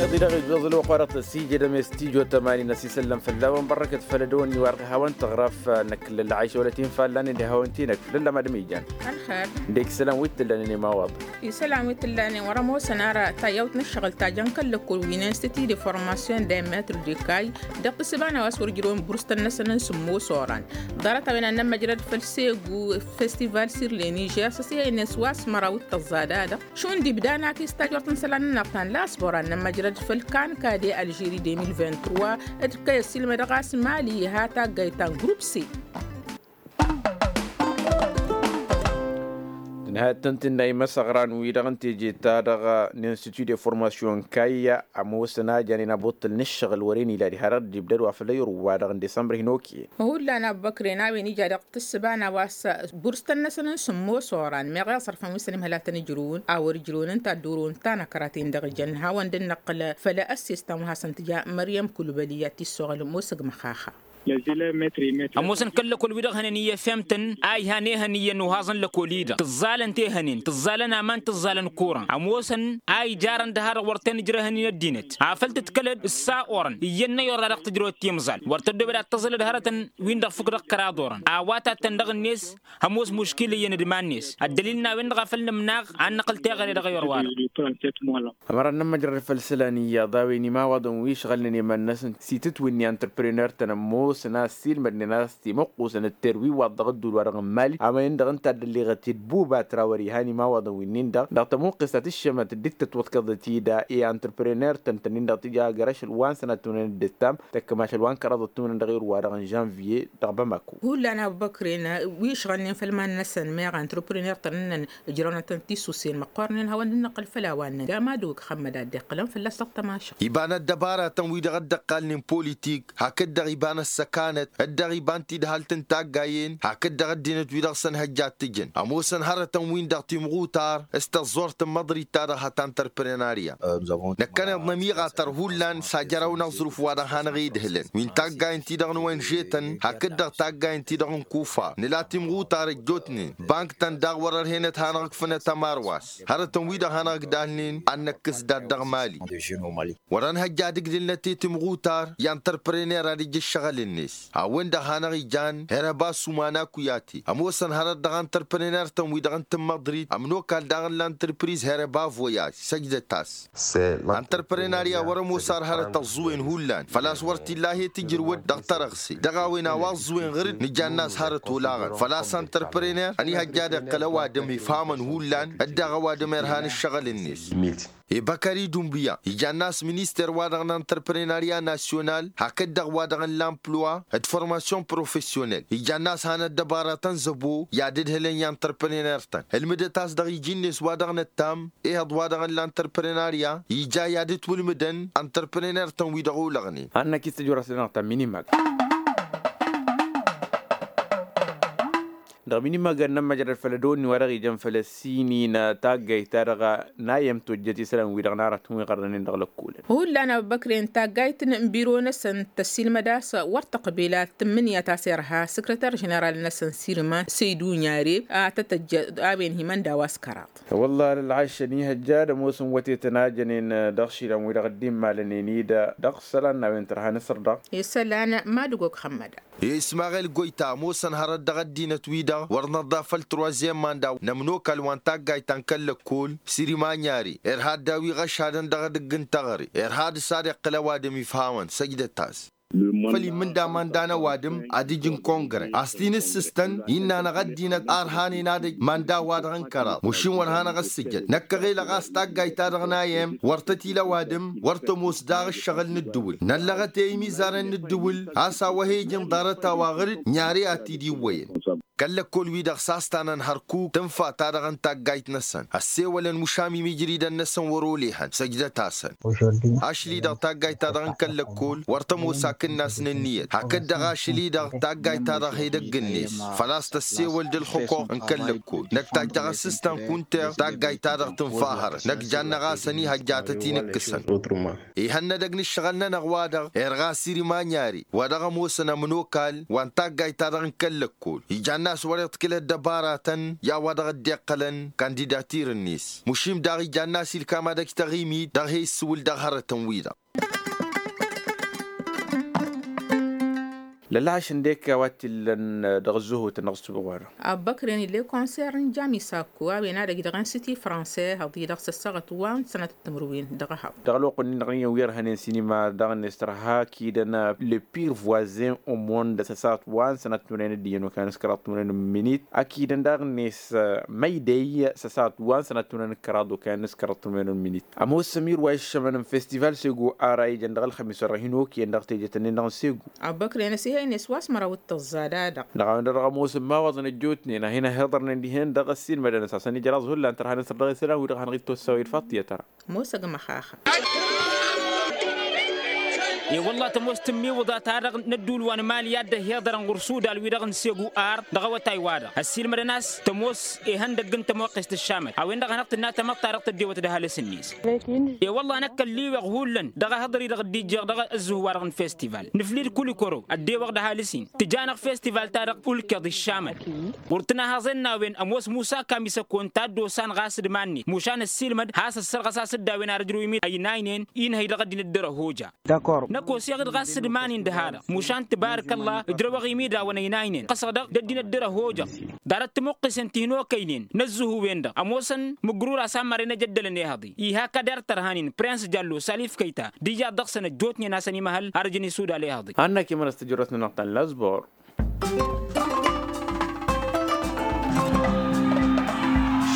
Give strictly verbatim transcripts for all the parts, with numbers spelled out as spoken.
Iḍi dăɣ-ijjuẓ ălwăqq wa dăɣ-tăsijădăm i-stijo tămani n-asisăllăm fălla-wen bărrăkăt făll-ădăwănni wa dăɣ-hawăn-tăɣraf. Năkk lălɣayš wălăt-in fallanen d-hawăn-t-i năkk lăllam ad-ămijjan. Ălxer. Dek isălan wi t-tǝllanen i-imawaḍ. Isălan wi t-tǝllanen wăr-ămoosăn ara tayyawt n-ǝššăɣǝl ta jăn kăl-lăkkol wi n-institut de formation de metru de kay. Dăɣ-tǝssǝba n-a-wa s-wăr ǝjrăwăn burstăn-năsăn n-sǝmmos oran. Ḍarăt-a-wen ad-nămmăjrăd făll-segu festival sirleni žer s-ăsihăynen s-wa s-măraw d-tăẓẓad-a-dăɣ. Šund ibda n-akis tajort n-isălan-nănăɣ ta n-lasbor ad-nămmăjrăd făll-kanka de alžeri deux mille vingt-trois. D-kăy-ăssiilmădăɣ a-s mali iha taggayt ta n-grup c. Tǝnhăyăt tăn-tǝnna imăsăɣran-wi-dăɣ n-teje-ta-dăɣ n-institut de formation kayya ămoosăn a janen abutǝl n-ǝššăɣǝl wăren ila diha-dăɣ dd-ibdăd wa făll-ayǝrǝw-wa-dăɣ n-disămbăr hin-okăyăn. Hullan abbăkren a-wen ija dăɣ-tǝssǝba n-a-wa s-burstăn-năsăn n-sǝmmos oran meɣ i-aẓrăfăn wi s-ănimhăl a tăn-ǝjrǝwăn a wăr-ǝjrǝwăn ǝnta ăddurǝwăn ta n-akăraten dăɣ-ijăn hawăn-dd-năqqǝl. Făll-ăssest ta n-wa hasăn-tǝja măryăm kulbăli i-ad-t-issoɣăl ămoosăg măxaxa. Ămoosăn kăl-lăkol-wi-dăɣ hănen iyyăfemtăn a ihan ehăn iyyăn uhaẓăn lăkol-i-dăɣ tǝẓẓalăn tehănen tǝẓẓalăn aman tǝẓẓalăn kuran ămoosăn a ijarăn dăha-dăɣ wăr ten-ǝjrăhăn i-ăddinăt afăl tǝdkălăd ǝssa orăn iyyăn n-ayyur-ra dăɣ-tǝjrăwăt timẓal wăr tăddobed ad-tăẓǝlăd hărătăn. Win-dăɣ fukk dăɣ-kăraḍ orăn a-wa tattăn dăɣ-net ămoos muškila iyyăn d-iman-net ăddălil n-a-wen-dăɣ a făl nǝmnaɣ ad-năqqǝl teɣăre dăɣ-ayur-wa-dăɣ. Ămăra n-nămmăjrăd făll-isălan iyyăḍ a-wen imawaḍăn wi ǝšɣălnen iman-năsăn s-itǝtwǝnni antrăprăner-tăn ămoosăn a ăssiilmădnen a-s timăqqusăn d-terwiwaḍ dăɣ-ădduul-wa-dăɣ n-mali a-wen-dăɣ ǝnta a dd-ălleɣăt i-ăbbuba tra wăr-ihan imawaḍăn wi-nin-dăɣ dăɣ-tămuqqest ta tǝššămăt dd-tătwăḍkăḍăt-dd i-antrăprăner-tăn tănnin-dăɣ tǝja găr ašăl wa n-sănat tǝmnănăt d-ǝttam tăkk mašăl wa n-kăraḍăt tǝmnănăt dăɣ-irwa-dăɣ n-žănviye. Dăɣ-bamako. Hullan abbăkren wi ǝšɣălnen făll-iman-năsăn meɣ antrăprăner-tăn ǝnnăn ǝjrăwnăt-tăn tisusen măqqornen hawăn-dd-năqqǝl făll-a-wa ǝnnăn gama dăwăk xămmăd a dd-iqqǝlăn fălla-s dăɣ-tămašăɣt. Iba n-ăddăbaratăn wi-dăɣ ăddăqqalnen politik hakd-dăɣ iba n-ăssăkanăt d-dăɣ-iba n-tidhalt n-taggayen hakd-dăɣ ăddinăt wi-dăɣ s-ănhăjja ad-t-ǝjǝn ămoosăn hărătăn-win-dăɣ timɣutar s-tăẓẓort n-imăḍrit-ta-dăɣ hăta n-tărprănariya. Năkkăneḍ nămiɣatăr hullan s-ajăraw n-aẓrǝf wa-dăɣ hanăɣ-idhǝlăn wi n-taggayen-ti-dăɣ n-wenžetăn hakd-dăɣ taggayen-ti-dăɣ n-kufa nǝla timɣutar ăjjootnen bank-tăn daɣ wăr-ărhen ad-hanăɣ-ǝkfǝnăt ămarwas hărătăn-wi-dăɣ hanăɣ-ǝgdalnen ad-năkkǝs dat-dăɣ mali. Wăr-ănhăjja ad-ǝgdǝlnăt i-timɣutar i-antrăprăner ad-ǝjǝš šăɣǝl-net a-wen-dăɣ hanăɣ-ijan herăba s-umana kuyate ămoosăn hărăt dăɣ-antrăprăner-tăn-wi-dăɣ n-tǝmmăḍrit ămnokal daɣ n-lantrăpriz herăba voyaj săjdăt-as. Antrăprănarya wăr-ămoos ar hărăt ăẓẓuwen hullan făl-a-s wăr t-illa he-tǝjrǝwăt dăɣ-tărăɣse dăɣ-a-wen a-wa ăẓẓuwen ɣǝr-dd nǝjann'-as hărăt olaɣăn făl-a-s antrăprăner ănihăjja ad-iqqǝl ăwadǝm ifhamăn hullan dd-dăɣ ăwadǝm irhan ǝššăɣǝl-net. Ibăkări dumbuya ijann'-as minister-wa-dăɣ n-antrăprănarya nasyonal hakd-dăɣ wa-dăɣ n-lamplwa d-formasyon profesyonel ijann'-as han ăddăbaratăn zăbo i-ad-ǝdhǝlăn i-antrăprăner-tăn ǝlmǝdăt-as dăɣ-iji-net wa-dăɣ năttam ehăḍ wa-dăɣ n-lantrăprănarya ija i-ad-ǝtwǝlmǝdăn antrăprăner-tăn wi dăɣ-olăɣnen. Annăk-i s-tăjorăs-nănăɣ ta n-minimag dăɣ-minimag ad-nămmăjrăd făll-ădăwănni wa dăɣ-ijăn făll-ăssin-in taggayt-ta-dăɣ n-ayyăm tojjăt isălan-wi-dăɣ n-aratăn wi ɣărrănen dăɣ-lăkkolăn. Hullan abbăkren taggayt n-biro-năsăn tăssiilmăd a-s wăr tăqbel ad-tǝmmǝnǝya ta s-irha săkrăter ženeral-năsăn sirma săydu n-yare a tăt-ăjjăt a-wen himănda wa s-kăraḍ. Wălla ălɣayš ănihăjja ad-ămoosăn wătetăn a jănen dăɣ-išilan-wi-dăɣ dd-immalănen-dd dăɣ-isălan n-a-wen tărha n-asăr-dăɣ. Isălan madǝgog xămmăda. I-ismaɣel goyta ămoosăn hărăt dăɣ-ăddinăt-wi-dăɣ wăr năḍḍaf făll-troizyem manda n-ămnokal wa n-taggayt ta n-kăl-lăkkol sirima n-yari irha dd-a-wi ɣăšadăn dăɣ-edăgg n-teɣăre irha dăɣ-s ad-iqqǝl ăwadǝm ifhamăn săjdăt-as. Făll-immǝnda manda n-ăwadǝm ad-ǝj n-kongre a-s t-in-ǝssǝstăn innă-năɣ ăddinăt a ărhanen ad-ăj manda-wa-dăɣ n-kăraḍ mašin wăr hanăɣ-ăssǝjăd năkk ăɣelăɣ a-s taggayt-ta-dăɣ n-ayyăm wăr tăt-ila ăwadǝm wăr tămoos daɣ ǝššăɣǝl n-ǝddǝwǝl năllăɣăt i-imizarăn n-ǝddǝwǝl a-s a-wa he-ijăn ḍarăt-a-wa ɣǝr-dd n-yari ad-t-dd-iwwăyăn. Kăl-lăkkol-wi-dăɣ s-a-s ta n-ănhărkuk tǝnfa-ta-dăɣ n-taggayt-năsăn ăssewălăn mušam imijridăn-năsăn wăr-olehăn săjdăt-asăn. Ašli-dăɣ taggayt-ta-dăɣ n-kăl-lăkkol wăr tămoos akǝnnas n-ǝnniyăt hakd-dăɣ ašli-dăɣ taggayt-ta-dăɣ he-dăgg-net făl-a-s tăssewăl d-ǝlxǝkoɣ n-kăl-lăkkol năkk tajjăɣ asǝstan kunter taggayt-ta-dăɣ tǝnfa hărăt năkk jannăɣ-asăn ihăjjatăt-in ǝkkǝsăn. Ihănnădăg n-ǝššăɣǝl-nănăɣ wa-dăɣ irɣa sirima n-yari wa dăɣ-ămoosăn ămnokal wa n-taggayt-ta-dăɣ n-kăl-lăkkol ijan. a-s wăr-iḍkǝl ăddăbaratăn i-a-wa-dăɣ dd-iqqălăn kandidatir-net. Mušim daɣ ijan n-asilkam ad-ăj taɣimit dăɣ-he-issǝwǝl dăɣ-hărătăn-wi-dăɣ. Lălăɣaš ǝndek a-wa t-illăn dăɣ-ăzzuhut-năɣ s-tubăɣ-wa-dăɣ. Abbăkren ill'-e konsert n-jami sakku a-wen ad-ăj dăɣ-insiti franse hăḍ-i-dăɣ s-ăssaɣăt wa n-sănăt timǝrwen dăɣ-ehăḍ. Dăɣ-ălwăqq-ǝnnin-dăɣ n-iyyăn wi ărhănen sinima daɣ-net tărha akidăn le pire voisin au monde s-ăsaɣăt wa n-sănăt timǝrwen d-iyyăn okăyăn s-kăraḍ timǝrwen n-minit akidăn daɣ-net măydey s-ăsaɣăt wa n-sănăt timǝrwen d-kăraḍ okăyăn s-kăraḍ timǝrwen n-minit. Ămoos ămir wa iššămăn n-festival segu ara ijăn dăɣ-ălxămis wa dăɣ-hin-okăyăn dăɣ-tejăt-nin-dăɣ n-segu. Abbăkren ăsihăynet wa s-măraw d-tăẓẓa da-dăɣ. Dăɣ-a-wen-dăɣ ămoosăn imawaḍăn ăjjootnen a hin-ăhhiḍărnen dihen dăɣ-ăssiilmădăn a-s hasăn-ijraẓ hullan tărha n-asăr dăɣ-isălan wi-dăɣ hanăɣ-dd-tossawăy d-faṭṭiyăt ara. Ămoos ăgg măxaxa. E-wălla tămoos tǝmmiwǝḍa-ta-dăɣ n-ădduul wa n-emali a dd-ăhhiḍărăn ɣur-sudal-wi-dăɣ n-segu ar dăɣ-awătay-wa-dăɣ ăssiilmădăn a-s tămoos ihăndăgg n-tămoqqest ăššamăt a-wen-dăɣ a hanăɣ-tǝnna tamăḍt-ta-dăɣ tăddewăt d-ăhalǝs-net. E-wălla năkk ălliweɣ hullan dăɣ-ehăḍăr-i-dăɣ dd-ijjeɣ dăɣ-ăzzuh-wa-dăɣ n-festival nǝfli d-kulikoro ăddewăɣ d-ăhalǝs-in tǝja-năɣ festival-ta-dăɣ ulkeḍ iššamăt. Ɣur-tǝnahăẓen n-a-wen ămoos musa kamisăkon ta dd-osan ɣas d-iman-net mušan ăssiilmăd has-ăssărɣăs a-s dd-a-wen ar ǝjrǝw imid ăynaynen inhăy dăɣ-ăddinăt dăr-ăhoja. Năkk oseɣ-dd ɣas d-iman-in dăha-dăɣ mušan tǝbarǝk ălla ǝjrăwăɣ imid a-wăn ăynaynen ɣasăɣ-dăɣ d-ăddinăt dăr-ăhoja. Ḍarăt tămuqqisen ti hin-okăynen n-ăzzuhu-wen-dăɣ ămoosăn mǝgrur a-s ammărăn ejăddălăn ehăḍi-i hak ad-err tărhanin prens jallo salif kăyta d-iyyăḍ dăɣ-săn ăjjootnen a-s ănimăhăl ar ǝjǝn isudal ehăḍi. Hannăk imănăs tijărrăt-nănăɣ ta n-lazbor.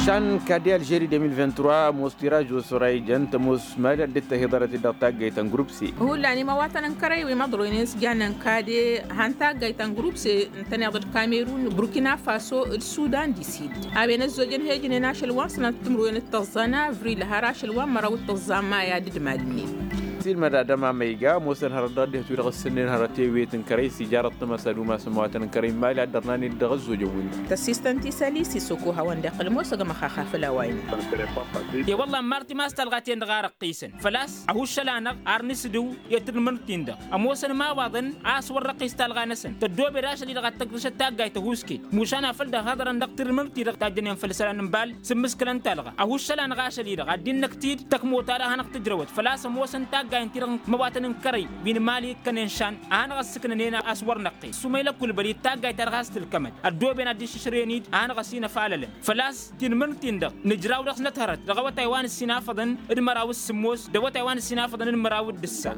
Šan kade alžeri deux mille vingt-trois ămoos tiraj wa s-ora ijăn tămoos mali ad-dd-tăhiḍărăt-dd dăɣ-taggayt ta n-grup se. Hullan imawatăn n-kărăy wi măḍroynen s-jannen kade han taggayt ta n-grup se ǝntăneḍ d-kamerun burkina faso d-sudan di sid. A-wen ăzzojăn hejnen ašăl wa n-sănat timǝrwen d-tăẓẓa n-avril har ašăl wa n-măraw d-tăẓẓa n-maya d-ǝdmal-net. Silmăd adăm amăyga ămoosăn hărăt dăɣ-dd-ihăt wi-dăɣ ǝssǝnnen hărăt ewet n-kărăy s-ijarăt tămăsa d-umas n-imawatăn n-kărăy n-mali ad-dd-ărnan-dd dăɣ-ăzzojăn-win-dăɣ. Tăssistăn ti s-ălisi s-oko hawăn-dd-iqqǝl ămoos ăgg măxaxa făll-a-wa innă. E-wălla n-marti ma s-talɣa-ten-dăɣ a răqqisăn făl-a-s ăhuššăl-anăɣ ar nǝsdǝw i-tǝrmǝrt-in-dăɣ ămoosăn imawaḍăn a-s wăr răqqis talɣa-năsăn tăddoobed ašăl-i-dăɣ ad-tăgdăšăt taggayt tăhuusket mušan afăl dd-ăhhăḍărăn dăɣ-tǝrmǝrt-i-dăɣ tajjănen făll-isălan n-bal s-ǝmmǝskǝlăn-ta-dăɣ ăhuššăl-anăɣ ašăl-i-dăɣ ad-dd-innăktid tăkmot-ta-dăɣ a hanăɣ-tǝjrăwăt făl-a-s ămoosăn taggayen-ti-dăɣ n-imăwatăn n-kărăy wi n-imali ǝkkănen šan a hanăɣ-ăssǝknănen a-s wăr năqqes sumăylăk ulbăl i-taggayt-ta-dăɣ has-tǝlkămăd ăddooben ad-dd-išǝšrăyăn-dd a hanăɣ-ăsinăfalălăn făl-a-s tinmǝrt-in-dăɣ nǝjraw dăɣ-s năthărăt dăɣ-awătay wa n-ǝssinafăḍăn d-măraw d-sǝmmos d-awătay wa n-ǝssinafăḍăn d-măraw d-ǝssa.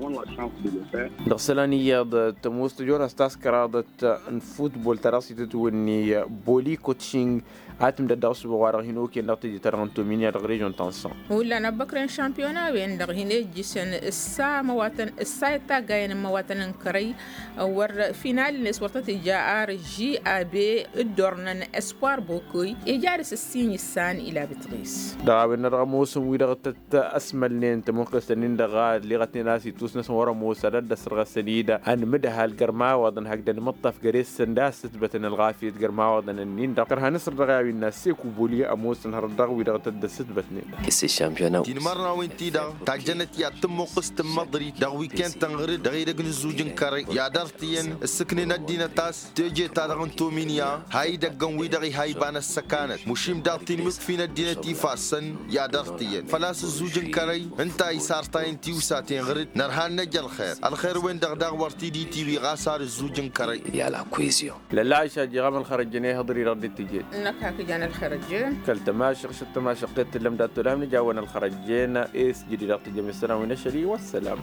Dăɣ-isălan iyyăḍ tămoos tăjonas taskăraḍăt n-futbol ta dăɣ-s itǝtwǝnni boli kotšing a tǝmdăd dăɣ-ăssuɣ wa-dăɣ hin-okăyăn dăɣ-teje-ta-dăɣ n-tominya dăɣ-režion ta n-san. Hullan ăbbăkrăn šampiyona-wen-dăɣ hin-ejjǝsăn ǝssa măwatăn ǝssa i-taggayen n-măwatăn n-kărăy wăr final-net wăr tăt-ija ar žab dd-ornăn espoir bokoy ija dăɣ-s ǝssin issan ila bitɣis. Dăɣ-a-wen-dăɣ ămoosăn wi-dăɣ tăt-ăsmălnen tămuqqest-nin-dăɣ a ălleɣătnen a-s itus-năsăn wăr-ămoos ad-ăddăsrăɣăsăn-dd ănmǝdhal gărmawaḍăn hakd ănmǝṭṭaf găre-săn d-a-s tǝtbătăn ălɣafyăt gărmawaḍăn-nin-dăɣ kărha n-asăr dăɣ-i a-wen n-asseku boli ămoosăn hărăt dăɣ-wi-dăɣ tăt-dd-ăssǝtbătnen. Tinmărnawen-ti-dăɣ tajjănăt i-ad-tǝmmuqqǝst n-măḍrit dăɣ-wi kăyăn-tăn ɣǝr-dd dăɣ-edăgg n-ǝzzuj n-kărăy i-ad-ărtǝyăn ǝssǝknen ăddinăt a-s teje-ta-dăɣ n-tominya ha idăggăn-wi-dăɣ iha iba n-ăssăkanăt mušim daɣ tinmǝkfi n-ăddinăt ifassăn i-ad-ărtǝyăn făl-a-s ǝzzuj n-kărăy ǝnta isartayăn tiwsaten ɣǝr-dd nărha n-năj ălxer ălxer-wen-dăɣ daɣ wăr t-dd-itiwi ɣas ar ǝzzuj n-kărăy. Lălăɣaš a jiɣam ălxărăjjăn ihăḍăr-i-dăɣ dd-tǝjed. Năkk hak ijan ălxărăjjăn. Kăl-tămašăɣ šăt tămašăɣ-t t-tǝllăm dat-tolhăm nǝja-wăn ălxărăjjăn. S-jădid dăɣ-tǝjăm isălan wi n-ašăl-i wăssălam.